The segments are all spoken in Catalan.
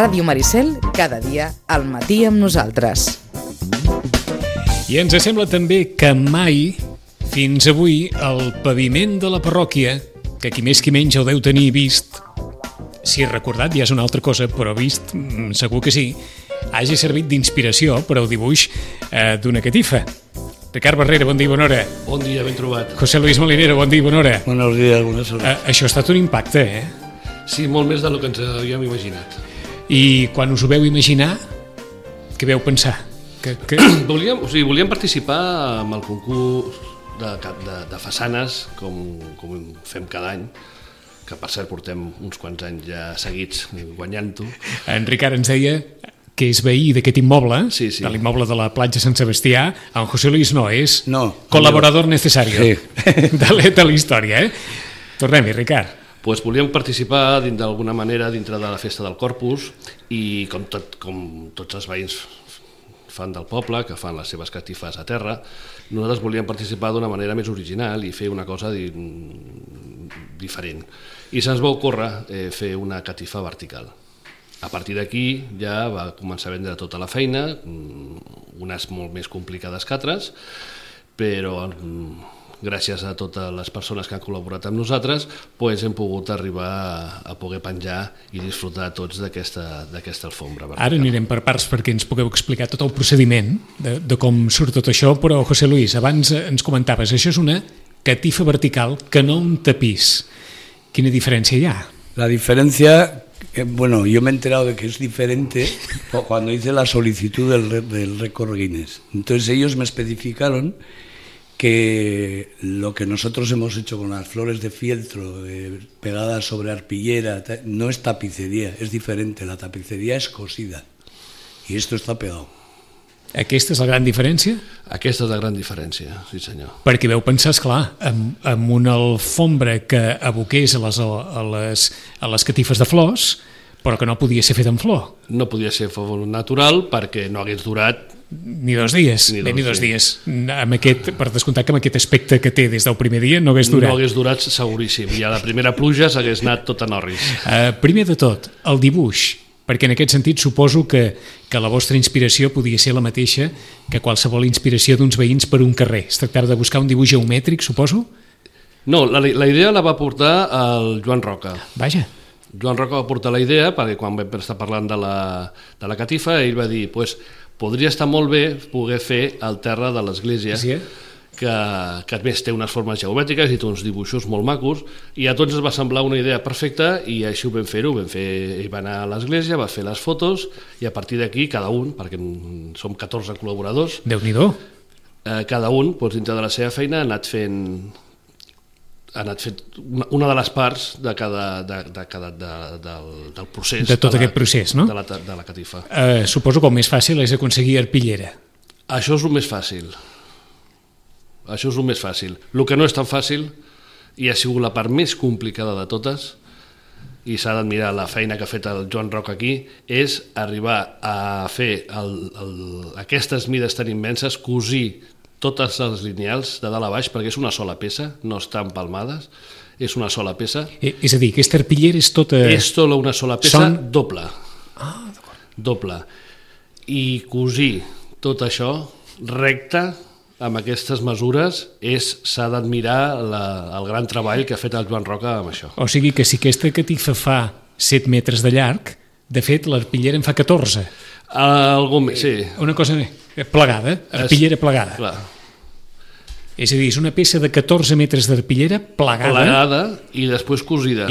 Ràdio Maricel, cada dia al matí amb nosaltres. I ens sembla també que mai, fins avui, el paviment de la parròquia, que qui més qui menys el deu tenir vist, si recordat ja és una altra cosa, però vist segur que sí, hagi servit d'inspiració per al dibuix d'una catifa. Ricard Barrera, bon dia, bona hora. Bon dia, ben trobat. José Luis Molinero, bon dia, bona hora. Buenos días, buenas horas. Això ha estat un impacte, Sí, molt més del que ens havíem imaginat. I quan us ho veu imaginar, què veu pensar? Volíem participar en el concurs de façanes, com fem cada any, que per cert portem uns quants anys ja seguits guanyant-ho. En Ricard ens deia que és veí d'aquest immoble, sí. De l'immoble de la platja Sant Sebastià. En José Luis no, és col·laborador necessari de la història. Tornem-hi, Ricard. Pues volíem participar d'alguna manera dintre de la festa del Corpus i com tots els veïns fan del poble, que fan les seves catifes a terra, nosaltres volíem participar d'una manera més original i fer una cosa diferent. I se'ns va ocórrer fer una catifa vertical. A partir d'aquí ja va començar a vendre tota la feina, unes molt més complicades que altres, però gràcies a totes les persones que han col·laborat amb nosaltres, hem pogut arribar a poder penjar i disfrutar tots d'aquesta alfombra vertical. Ara anirem per parts perquè ens pugueu explicar tot el procediment de com surt tot això, però José Luis, abans ens comentaves, això és una catifa vertical que no un tapís. Quina diferència hi ha? La diferencia, bueno, yo me he enterado de que es diferente cuando hice la solicitud del récord Guinness. Entonces ellos me especificaron que lo que nosotros hemos hecho con las flores de fieltro pegadas sobre arpillera no es tapicería, es diferente, la tapicería es cosida y esto está pegado. Aquesta és la gran diferència? Aquesta és la gran diferència, sí senyor. Perquè veu pensar, esclar, amb una alfombra que aboqués a les catifes de flors, però que no podia ser fet en flor. No podia ser flor natural perquè no hagués durat ni 2 dies, ni 2 dies. Per descomptar que amb aquest aspecte que té des del primer dia no hagués durat. No hagués durat seguríssim, i a la primera pluja s'hagués anat tot a Norris. Primer de tot, el dibuix, perquè en aquest sentit suposo que la vostra inspiració podia ser la mateixa que qualsevol inspiració d'uns veïns per un carrer. Es tractava de buscar un dibuix geomètric, suposo? No, la idea la va portar el Joan Roca. Vaja. Joan Roca va portar la idea perquè quan vam estar parlant de la catifa ell va dir, podria estar molt bé poder fer el terra de l'església, que a més té unes formes geomètriques i té uns dibuixos molt macos, i a tots ens va semblar una idea perfecta i així ho vam fer-ho. Ell va anar a l'església, va fer les fotos i a partir d'aquí cada un, perquè som 14 col·laboradors, Déu-n'hi-do. Cada un dintre de la seva feina ha anat fent una de les parts del procés. De tot aquest procés, no? De la catifa. Suposo que el més fàcil és aconseguir arpillera. Això és el més fàcil. El que no és tan fàcil, i ha sigut la part més complicada de totes, i s'ha d'admirar la feina que ha fet el Joan Roca aquí, és arribar a fer aquestes mides tan immenses, cosir totes les lineals de dalt a baix, perquè és una sola peça, no estan empalmades, és una sola peça. És a dir, aquesta arpillera és tota... És tota una sola peça doble. Ah, d'acord. Doble. I cosir tot això recte, amb aquestes mesures, s'ha d'admirar el gran treball que ha fet el Joan Roca amb això. O sigui que si aquesta catifa fa 7 metres de llarg, de fet l'arpillera en fa 14. Sí. Una cosa plegada, arpillera plegada. Clar. És a dir, és una peça de 14 metres d'arpillera plegada i després cosida.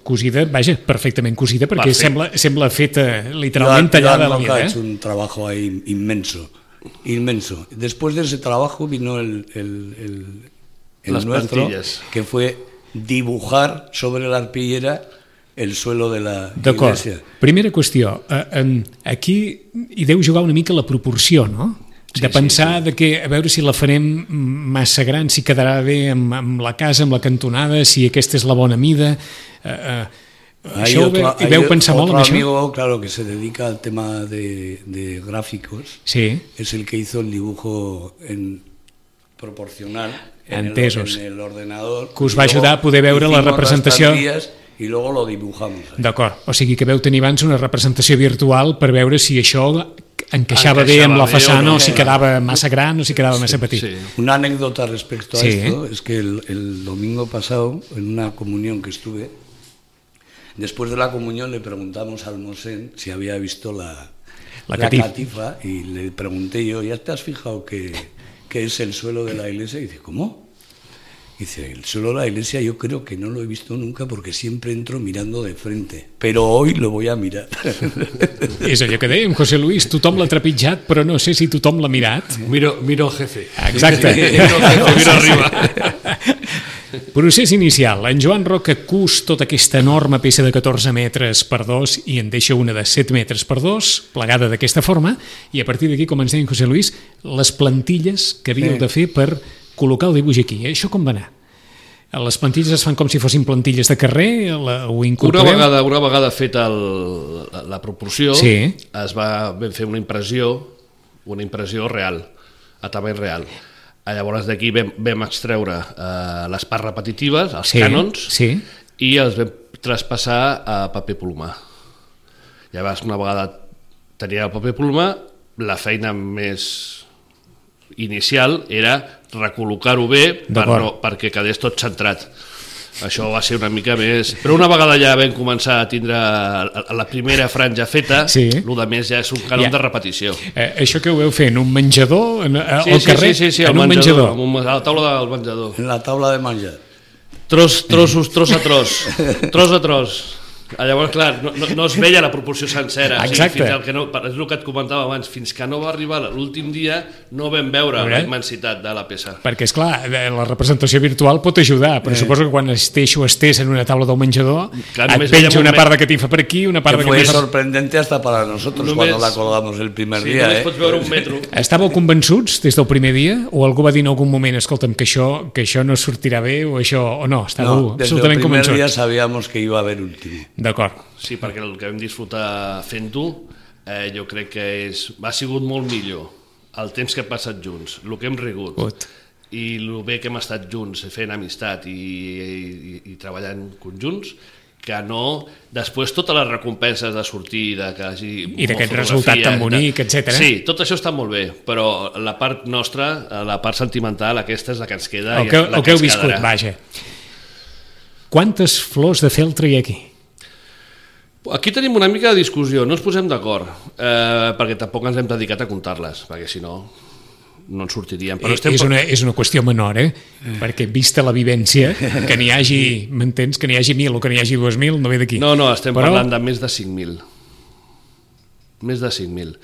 Cosida, vaja, perfectament cosida, perquè sembla feta literalment tallada a la mida. Ha hecho un trabajo ahí inmenso. Después de ese trabajo vino el nuestro, plantillas, que fue dibujar sobre la arpillera el suelo de la D'acord. iglesia. Primera qüestió, aquí hi deu jugar una mica la proporció, no? De pensar de que, a veure si la farem massa gran, si quedarà bé amb la casa, amb la cantonada, si aquesta és la bona mida. Això veu pensar molt en això? Otro amigo, claro, que se dedica al tema de gráficos, sí. Es el que hizo el dibujo proporcional en el ordenador. Que us va ajudar a poder veure la representació. y luego lo dibujamos. D'acord, o sigui que veu tenir abans una representació virtual per veure si això encaixava bé amb la façana o si quedaba massa gran o si quedaba massa petit. Sí. Una anécdota respecto a esto es que el domingo pasado, en una comunión que estuve, después de la comunión le preguntamos al Mosén si había visto la catifa y le pregunté yo, ¿ya te has fijado que es el suelo de la iglesia? Y dice, ¿cómo? Dice, el suelo de la iglesia yo creo que no lo he visto nunca porque siempre entro mirando de frente, pero hoy lo voy a mirar. És allò que dèiem, José Luis, tothom l'ha trepitjat, però no sé si tothom l'ha mirat. Miro el jefe. Exacte. Miro arriba. Procés inicial. En Joan Roca cus tota aquesta enorme peça de 14 metres per 2 i en deixa una de 7 metres per 2, plegada d'aquesta forma, i a partir d'aquí, com ens deia José Luis, les plantilles que havíeu de fer per col·locar el dibuix aquí. Això com va anar? Les plantilles es fan com si fossin plantilles de carrer? Ho incorporeu? Una vegada feta la proporció, vam fer una impressió real, a tamany real. Llavors d'aquí vam extreure les parts repetitives, els cànons, i els vam traspassar a paper plomar. Llavors, una vegada tenia el paper plomar, la feina més inicial era recol·locar-ho bé perquè quedés tot centrat. Això va ser una mica més... Però una vegada ja vam començar a tindre la primera franja feta, el de més ja és un cànon de repetició. Això que ho veu fer en un menjador, al carrer? Sí, en un menjador, a la taula del menjador. En la taula de menjar. Tros a tros. Llavors, clar, no es veia la proporció sencera. Exacte. És el que et comentava abans, fins que no va arribar l'últim dia no vam veure la immensitat de la peça. Perquè, esclar, la representació virtual pot ajudar, però suposo que quan estès en una taula del menjador et penja una part de catifa per aquí, una part de catifa... Que fue sorprendente hasta para nosotros cuando la colgamos el primer dia. Només pots veure un metro. Estàveu convençuts des del primer dia? O algú va dir en algun moment, escolta'm, que això no sortirà bé o això, o no? Estàveu absolutament convençuts? Desde el primer dia sabíamos que iba a haver último. D'acord. Sí, perquè el que vam disfrutar fent-ho jo crec que ha sigut molt millor el temps que hem passat junts, el que hem rigut i el bé que hem estat junts fent amistat i treballant conjunts, que no després totes les recompenses de sortir i d'aquest resultat tan bonic, etc. Sí, tot això està molt bé, però la part nostra, la part sentimental, aquesta és la que ens queda. El que heu viscut, vaja. Quantes flors de feltre hi ha aquí? Aquí tenim una mica de discussió, no ens posem d'acord, perquè tampoc ens hem dedicat a comptar-les, perquè si no ens sortiríem. Però és una qüestió menor, perquè vista la vivència, que n'hi hagi, m'entens, que n'hi hagi 1.000 o que n'hi hagi 2.000, no ve d'aquí. No, estem parlant de més de 5.000. Més de 5.000.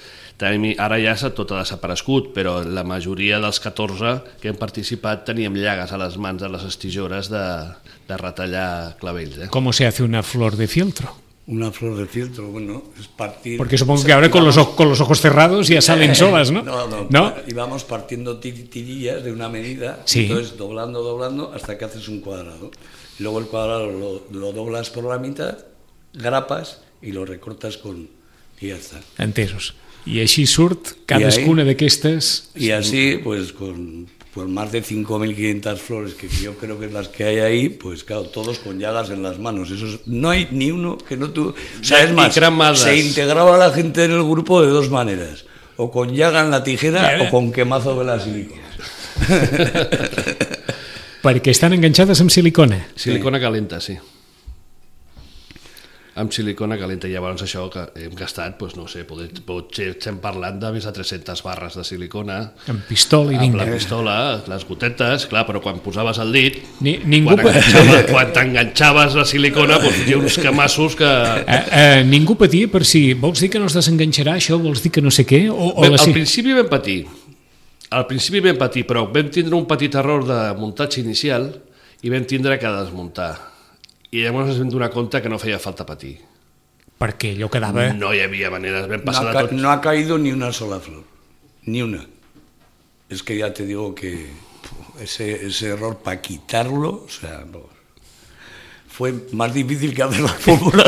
Ara ja tot ha desaparegut, però la majoria dels 14 que hem participat teníem llagues a les mans de les estijores de retallar clavells. ¿Cómo se hace una flor de fieltro? Una flor de fieltro, bueno, es partir... Porque supongo que ahora con los ojos cerrados ya salen solas, ¿no? No, íbamos partiendo tirillas de una medida, entonces doblando hasta que haces un cuadrado. Y luego el cuadrado lo doblas por la mitad, grapas y lo recortas y ya está. Entesos. I així surt cadascuna d'aquestes... Y así, pues con más de 5.500 flores, que yo creo que es las que hay ahí, pues claro, todos con llagas en las manos. No hay ni uno que no tú... O sea, es más, se integraba la gente en el grupo de dos maneras. O con llaga en la tijera o con quemazo de la silicona. Perquè estan enganxades amb silicona. Silicona calenta, sí. Amb silicona calenta. I llavors això que hem gastat, doncs no sé, potser estem parlant de més de 300 barres de silicona. Amb pistola i vinga. Amb la pistola, les gotetes, clar, però quan posaves el dit, quan t'enganxaves la silicona, doncs hi ha uns camassos que... Ningú patia per si vols dir que no es desenganxarà això, vols dir que no sé què? Al principi vam patir, però vam tindre un petit error de muntatge inicial i vam tindre que desmuntar. I llavors ens vam donar compte que no feia falta patir. Perquè allò quedava... No hi havia maneres, vam passar de tot. No ha caído ni una sola flor, ni una. Es que ya te digo que ese error para quitarlo, o sea, fue más difícil que hacer la fórmula.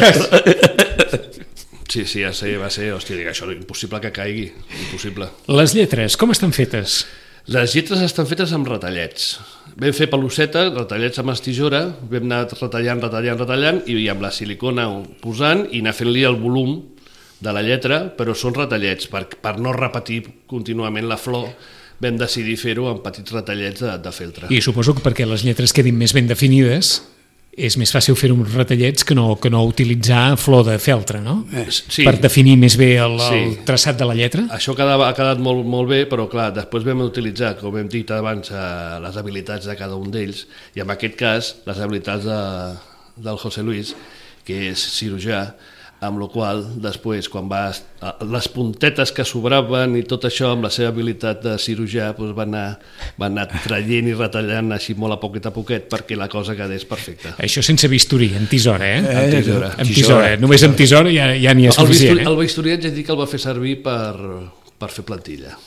Sí, va ser, hòstia, això és impossible que caigui, impossible. Les lletres, com estan fetes? Les lletres estan fetes amb retallets. Vam fer pelucetes, retallets amb estisora, vam anar retallant, i amb la silicona posant i anar fent-li el volum de la lletra, però són retallets, per no repetir contínuament la flor, vam decidir fer-ho amb petits retallets de feltre. I suposo que perquè les lletres quedin més ben definides, és més fàcil fer uns retallets que no utilitzar flor de feltre, no? Sí. Per definir més bé el traçat de la lletra? Això ha quedat molt bé, però clar, després vam utilitzar, com hem dit abans, les habilitats de cada un d'ells, i en aquest cas les habilitats del José Luis, que és cirurgià, amb la qual després, quan les puntetes que sobraven i tot això, amb la seva habilitat de cirurgià, va anar traient i retallant així molt a poquet perquè la cosa quedés perfecta. Això sense bisturí, amb tisora, Amb tisora. Només amb tisora ja n'hi ha suficient. El bisturí ja dic que el va fer servir per fer plantilla.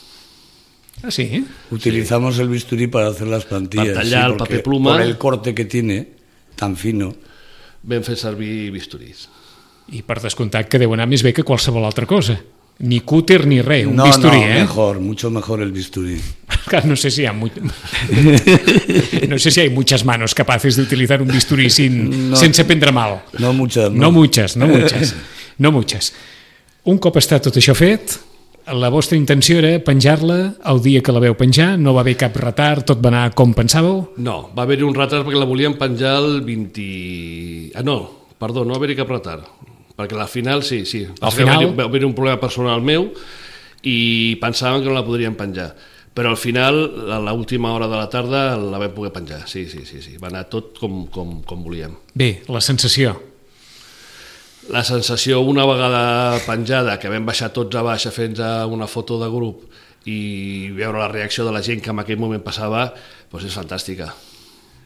Ah, sí? Utilizamos el bisturí para hacer las plantillas. Per tallar el paper pluma. Por el corte que tiene, tan fino. Vam fer servir bisturís. I per descomptat que deu anar més bé que qualsevol altra cosa. Ni cúter ni res, un bisturí, mucho mejor el bisturí. No sé si hay muchas manos capaces de utilizar un bisturí sense prendre mal. No muchas. No muchas. Un cop està tot això fet, la vostra intenció era penjar-la el dia que la veu penjar, no va haver cap retard, tot va anar com pensàveu? No, va haver-hi un retard perquè la volíem penjar el 20... no va haver-hi cap retard. Perquè al final, sí. Al final... Va haver un problema personal meu i pensàvem que no la podríem penjar. Però al final, a l'última hora de la tarda, la vam poder penjar. Sí. Va anar tot com volíem. Bé, la sensació. La sensació, una vegada penjada, que vam baixar tots a baix a fer-nos una foto de grup i veure la reacció de la gent que en aquell moment passava, doncs és fantàstica.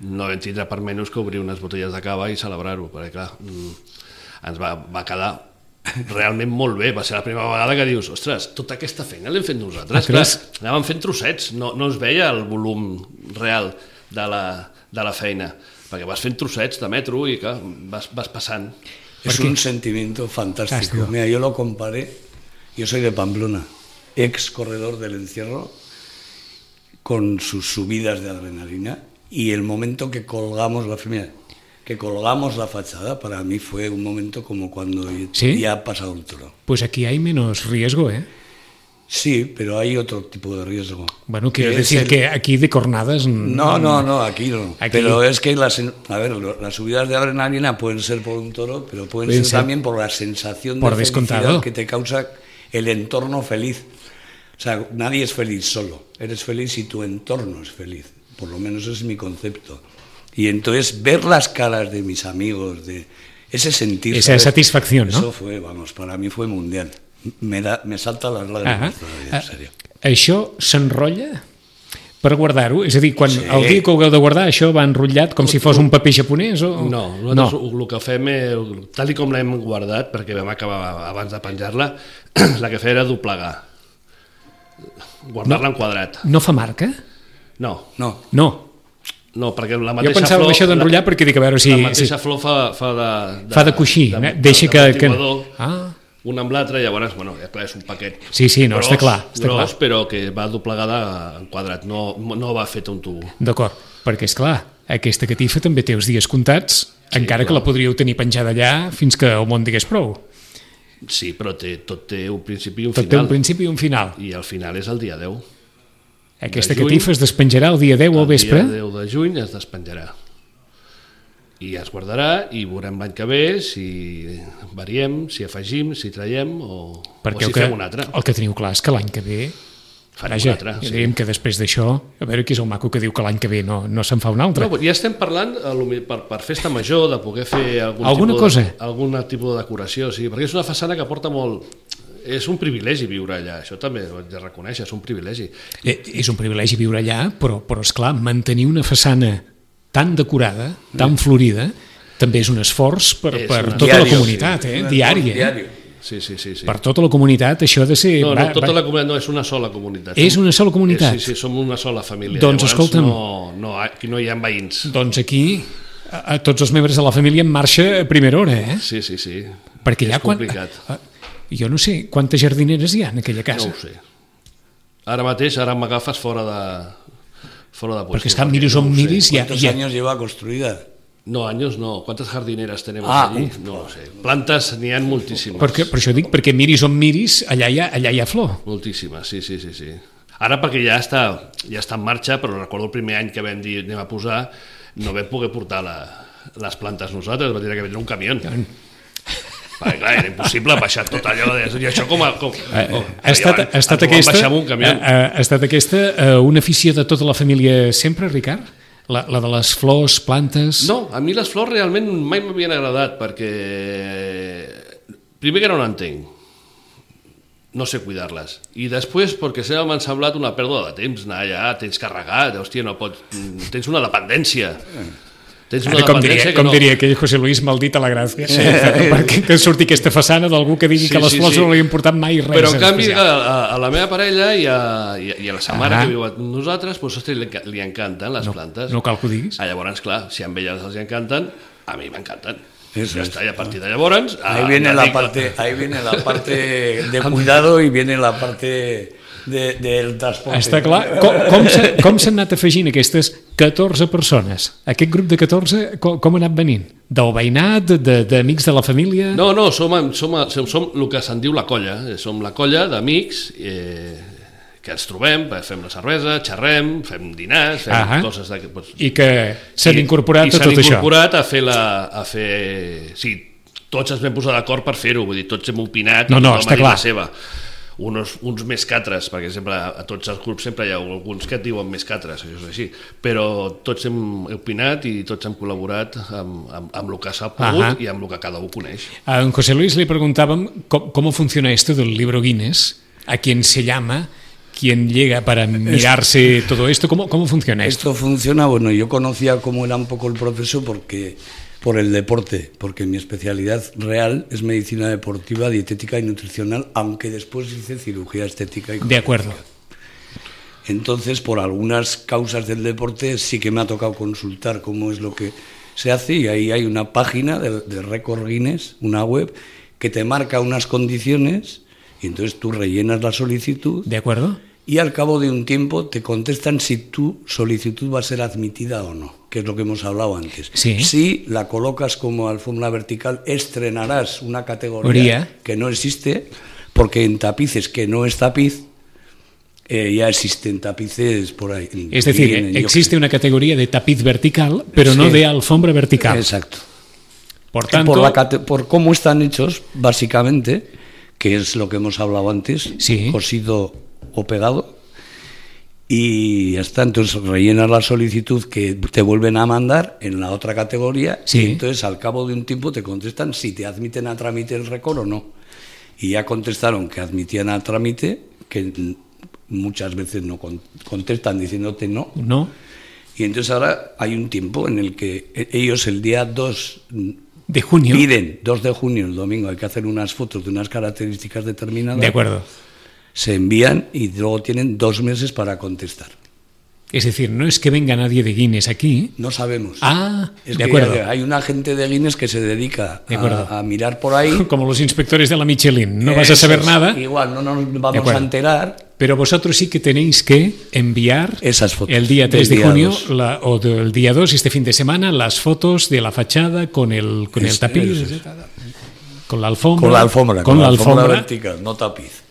No vam tindre per menys que obrir unes botelles de cava i celebrar-ho, perquè clar, ens va quedar realment molt bé. Va ser la primera vegada que dius, ostres, tota aquesta feina l'hem fet nosaltres. Clar, anàvem fent trossets, no es veia el volum real de la feina, perquè vas fent trossets de metro i clar, vas passant. Es un sentimiento fantástico. Mira, yo lo comparé, yo soy de Pamplona, ex corredor del encierro, con sus subidas de adrenalina, y el momento que colgamos la fachada, para mí fue un momento como cuando ya ha pasado el toro. Pues aquí hay menos riesgo, ¿eh? Sí, pero hay otro tipo de riesgo. Bueno, quiero decir que aquí de cornadas... No, aquí no. Aquí... Pero es que las subidas de adrenalina pueden ser por un toro, pero pueden ser también por la sensación de felicidad que te causa el entorno feliz. O sea, nadie es feliz solo. Eres feliz si tu entorno es feliz. Por lo menos ese es mi concepto. Y entonces ver las caras de mis amigos, de ese sentir... Esa satisfacción, ¿no? Eso fue, para mí fue mundial. Me salta les lágrimes todavía, en sèrio. Això s'enrotlla per guardar-ho? És a dir, quan el dia que ho hagueu de guardar, això va enrotllat com si fos un paper japonès? O... No, nosaltres el que fem, tal com l'hem guardat, perquè vam acabar abans de penjar-la, la que feia era doblegar. Guardar-la en quadrat. No fa marca? No, perquè la mateixa flor... Jo pensava en això d'enrotllar perquè dic a veure si... La mateixa flor fa de coixí, deixa que... una amb l'altra, llavors, bueno, clar, és un paquet està clar. Però que va doblegada en quadrat, no va feta un tubo. D'acord, perquè és clar, aquesta catifa també té els dies comptats, encara que la podríeu tenir penjada allà fins que el món digués prou. Sí, però tot té un principi i un final. Tot té un principi i un final. I el final és el dia 10. Aquesta catifa es despenjarà el dia 10 al vespre? El dia 10 de juny es despenjarà. I es guardarà i veurem l'any que ve si variem, si afegim, si traiem o si fem un altre. El que teniu clar és que l'any que ve... Vaja, diríem que després d'això, a veure qui és el maco que diu que l'any que ve no se'n fa un altre. No, ja estem parlant per festa major, de poder fer algun tipus de decoració, sí, perquè és una façana que porta molt... És un privilegi viure allà, això també ho haig de reconèixer, és un privilegi. És un privilegi viure allà, però esclar, mantenir una façana tan decorada, tan florida, també és un esforç per tota la comunitat, diari. Sí. Per tota la comunitat això ha de ser... No, tota la comunitat no, és una sola comunitat. És una sola comunitat? Sí, som una sola família. Doncs escolta'm... Aquí no hi ha veïns. Doncs aquí tots els membres de la família en marxa a primera hora, eh? Sí. Perquè és complicat. Jo no sé quantes jardineres hi ha en aquella casa. No ho sé. Ara mateix, m'agafes fora Foro de puesto. Porque es que miris on miris... ¿Cuántos años lleva construida? No, años no. ¿Cuántas jardineras tenemos allí? No lo sé. Plantes n'hi ha moltíssimes. Per això dic, perquè miris on miris, allà hi ha flor. Moltíssimes, sí. Ara perquè ja està en marxa, però recordo el primer any que vam dir anem a posar, no vam poder portar les plantes nosaltres, va dir que vindre un camió. Perquè, clar, era impossible baixar tot allò. I això ha estat aquesta una afició de tota la família sempre, Ricard? La de les flors, plantes... No, a mi les flors realment mai m'havien agradat perquè primer que no n'entenc, no sé cuidar-les, i després perquè sempre m'han semblat una pèrdua de temps, anar allà, tens carregat, hòstia, no pots... tens una dependència. Com diria aquell José Luis maldita la gràcia, perquè surti aquesta façana d'algú que digui que les flors no li han portat mai res. Però en canvi a la meva parella i a la sa mare que viu amb nosaltres, li encanten les plantes. No cal que ho diguis. Llavors, clar, si a elles els encanten, a mi m'encanten. Ja està, i a partir de llavors... Ahí viene la parte de cuidado y viene la parte... del transporte. Està clar. Com s'han anat afegint aquestes 14 persones? Aquest grup de 14 com ha anat venint? Del veïnat, d'amics de la família? No, som el que se'n diu la colla. Som la colla d'amics que ens trobem, fem la cervesa, xerrem, fem dinars, fem coses d'aquest... I que s'han incorporat a tot això. I s'han incorporat a fer... Sí, tots ens vam posar d'acord per fer-ho, vull dir, tots hem opinat, no, està clar. La seva. Uns més que altres, perquè sempre a tots els grups sempre hi ha alguns que et diuen més que altres, això és així, però tots hem opinat i tots hem col·laborat amb el que s'ha pogut i amb el que cada un coneix. A en José Luis le preguntábamos cómo funciona esto del libro Guinness, a quién se llama, quién llega para mirarse todo esto, ¿cómo funciona esto? Esto funciona, bueno, yo conocía cómo era un poco el proceso por el deporte, porque mi especialidad real es medicina deportiva, dietética y nutricional, aunque después hice cirugía estética y cosmética. De acuerdo. Entonces, por algunas causas del deporte sí que me ha tocado consultar cómo es lo que se hace, y ahí hay una página de Récord Guinness, una web, que te marca unas condiciones, y entonces tú rellenas la solicitud. De acuerdo. Y al cabo de un tiempo te contestan si tu solicitud va a ser admitida o no, que es lo que hemos hablado antes. Sí. Si la colocas como alfombra vertical, estrenarás una categoría que no existe, porque en tapices que no es tapiz, ya existen tapices por ahí. Es decir, existe una categoría de tapiz vertical, pero no de alfombra vertical. Exacto. Por tanto, por cómo están hechos, básicamente, que es lo que hemos hablado antes, cosido o pegado, y ya está. Entonces rellenas la solicitud que te vuelven a mandar en la otra categoría, y entonces al cabo de un tiempo te contestan si te admiten a trámite el récord o no, y ya contestaron que admitían a trámite, que muchas veces no contestan diciéndote no, y entonces ahora hay un tiempo en el que ellos el día 2 de junio piden, 2 de junio, el domingo, hay que hacer unas fotos de unas características determinadas. De acuerdo. Se envían y luego tienen 2 meses para contestar. Es decir, no es que venga nadie de Guinness aquí. No sabemos. De acuerdo. Hay un agente de Guinness que se dedica a mirar por ahí. Como los inspectores de la Michelin. No vas a saber nada. Igual, no nos vamos a enterar. Pero vosotros sí que tenéis que enviar esas fotos el día 3 de junio o el día 2, este fin de semana, las fotos de la fachada con el tapiz. Con la alfombra vertical, no tapiz.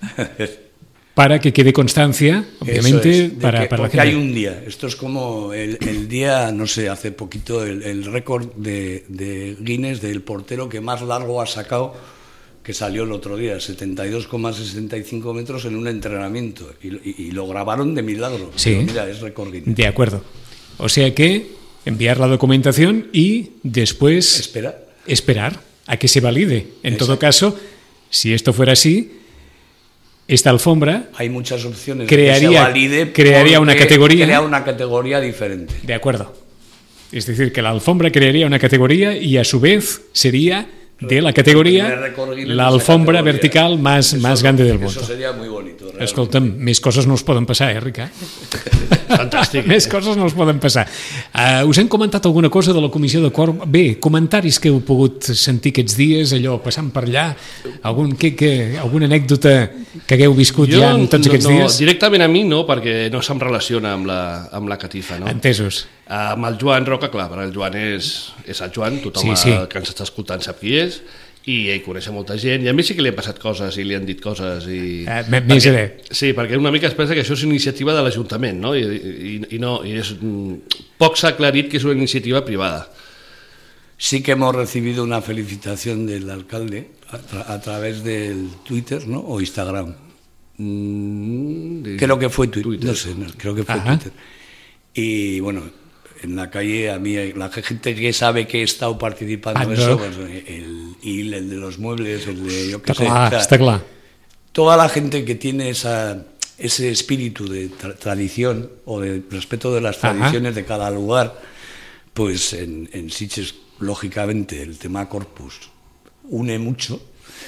Para que quede constancia, obviamente, para la gente. Hay un día, esto es como el día, no sé, hace poquito el récord de Guinness del portero que más largo ha sacado, que salió el otro día, 72,65 metros en un entrenamiento, y lo grabaron de milagro. Sí. Pero mira, es récord Guinness. De acuerdo. O sea que enviar la documentación y después esperar a que se valide. En todo caso, si esto fuera así, esta alfombra, hay muchas opciones, crearía una categoría. Crea una categoría diferente. De acuerdo. Es decir, que la alfombra crearía una categoría y a su vez sería de la categoría la alfombra vertical más grande del mundo. Eso sería muy bonito. Realmente. Escolta'm, més coses no us poden passar, Ricard? Fantàstic. Més coses no us poden passar. Us hem comentat alguna cosa de la comissió de quòrum? Bé, comentaris que heu pogut sentir aquests dies, allò, passant per allà, alguna anècdota que hagueu viscut ja en tots aquests dies? Directament a mi no, perquè no se'm relaciona amb la catifa, no? Entesos. Amb el Joan Roca, clar, perquè el Joan és el Joan, tothom que ens està escoltant sap qui és, i ell coneix molta gent, i a mi sí que li han passat coses i li han dit coses. Més bé. Sí, perquè una mica es pensa que això és una iniciativa de l'Ajuntament, no? I no, poc s'ha aclarit que és una iniciativa privada. Sí que hemos recibido una felicitación del alcalde a través del Twitter, ¿no? O Instagram. Creo que fue Twitter. No sé, creo que fue Twitter. Y bueno, en la calle a mí, la gente que sabe que he estado participando en eso, pues, el de los muebles, el de yo qué sé. Está claro. Toda la gente que tiene ese espíritu de tradición o de respeto de las tradiciones de cada lugar, pues en Sitges, lógicamente, el tema Corpus une mucho.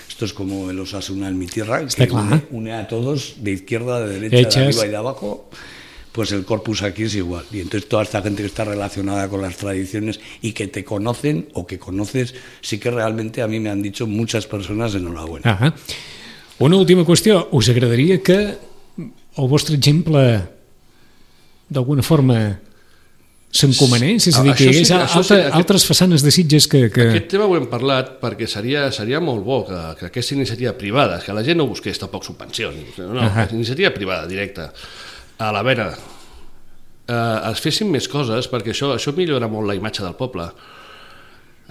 Esto es como el Osasuna en mi tierra, que une a todos, de izquierda, de derecha, de arriba y de abajo. Pues el Corpus aquí es igual. Y entonces toda esta gente que está relacionada con las tradiciones y que te conocen o que conoces, sí que realmente a mí me han dicho muchas personas enhorabuena. Una última qüestió. Us agradaria que el vostre exemple d'alguna forma s'encomanés? És a dir, que hi hagués altres façanes de Sitges que... Aquest tema ho hem parlat perquè seria molt bo que aquesta iniciativa privada, que la gent no busqués tampoc subvencions, no, iniciativa privada, directa, a la vena, es fessin més coses, perquè això millora molt la imatge del poble.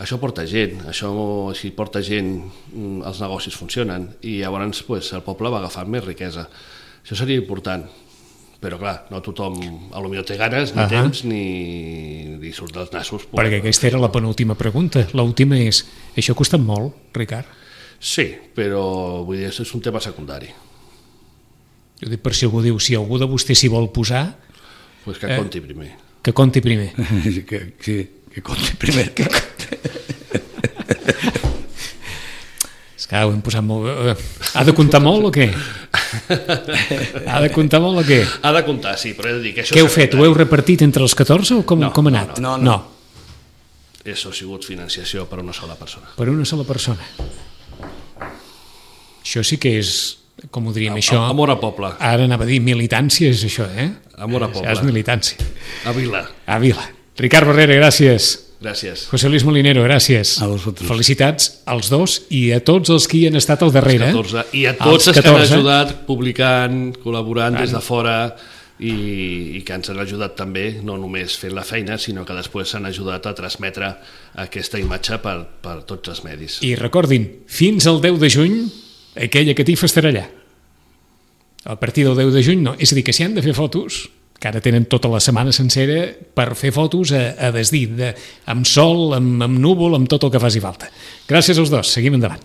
Això porta gent, si porta gent els negocis funcionen i llavors el poble va agafar més riquesa. Això seria important, però clar, no tothom potser té ganes, ni temps, ni surt dels nassos. Perquè aquesta era la penúltima pregunta. L'última és, això ha costat molt, Ricard? Sí, però vull dir, és un tema secundari. Jo dic per si algú diu, si algú de vostè s'hi vol posar... Pues que conti primer. Que conti primer. Sí, que conti primer. És que ho hem posat molt... Ha de comptar molt o què? Ha de comptar molt o què? Ha de comptar, sí, però he de dir que això... Què heu fet? Ho heu repartit entre els 14 o com ha anat? No. Això ha sigut financiació per una sola persona. Per una sola persona. Això sí que és... Com ho diríem, això... Amor a poble. Ara anava a dir militància, és això, Amor a poble. És militància. A Vila. A Vila. Ricard Barrera, gràcies. Gràcies. José Luis Molinero, gràcies. A vosaltres. Felicitats als dos i a tots els que hi han estat al darrere. I a tots els que han ajudat publicant, col·laborant des de fora i que ens han ajudat també, no només fent la feina, sinó que després s'han ajudat a transmetre aquesta imatge per tots els medis. I recordin, fins al 10 de juny aquella catifa estarà allà. A partir del 10 de juny no. És a dir, que si han de fer fotos, que ara tenen tota la setmana sencera per fer fotos a desdir, amb sol, amb núvol, amb tot el que faci falta. Gràcies als dos, seguim endavant.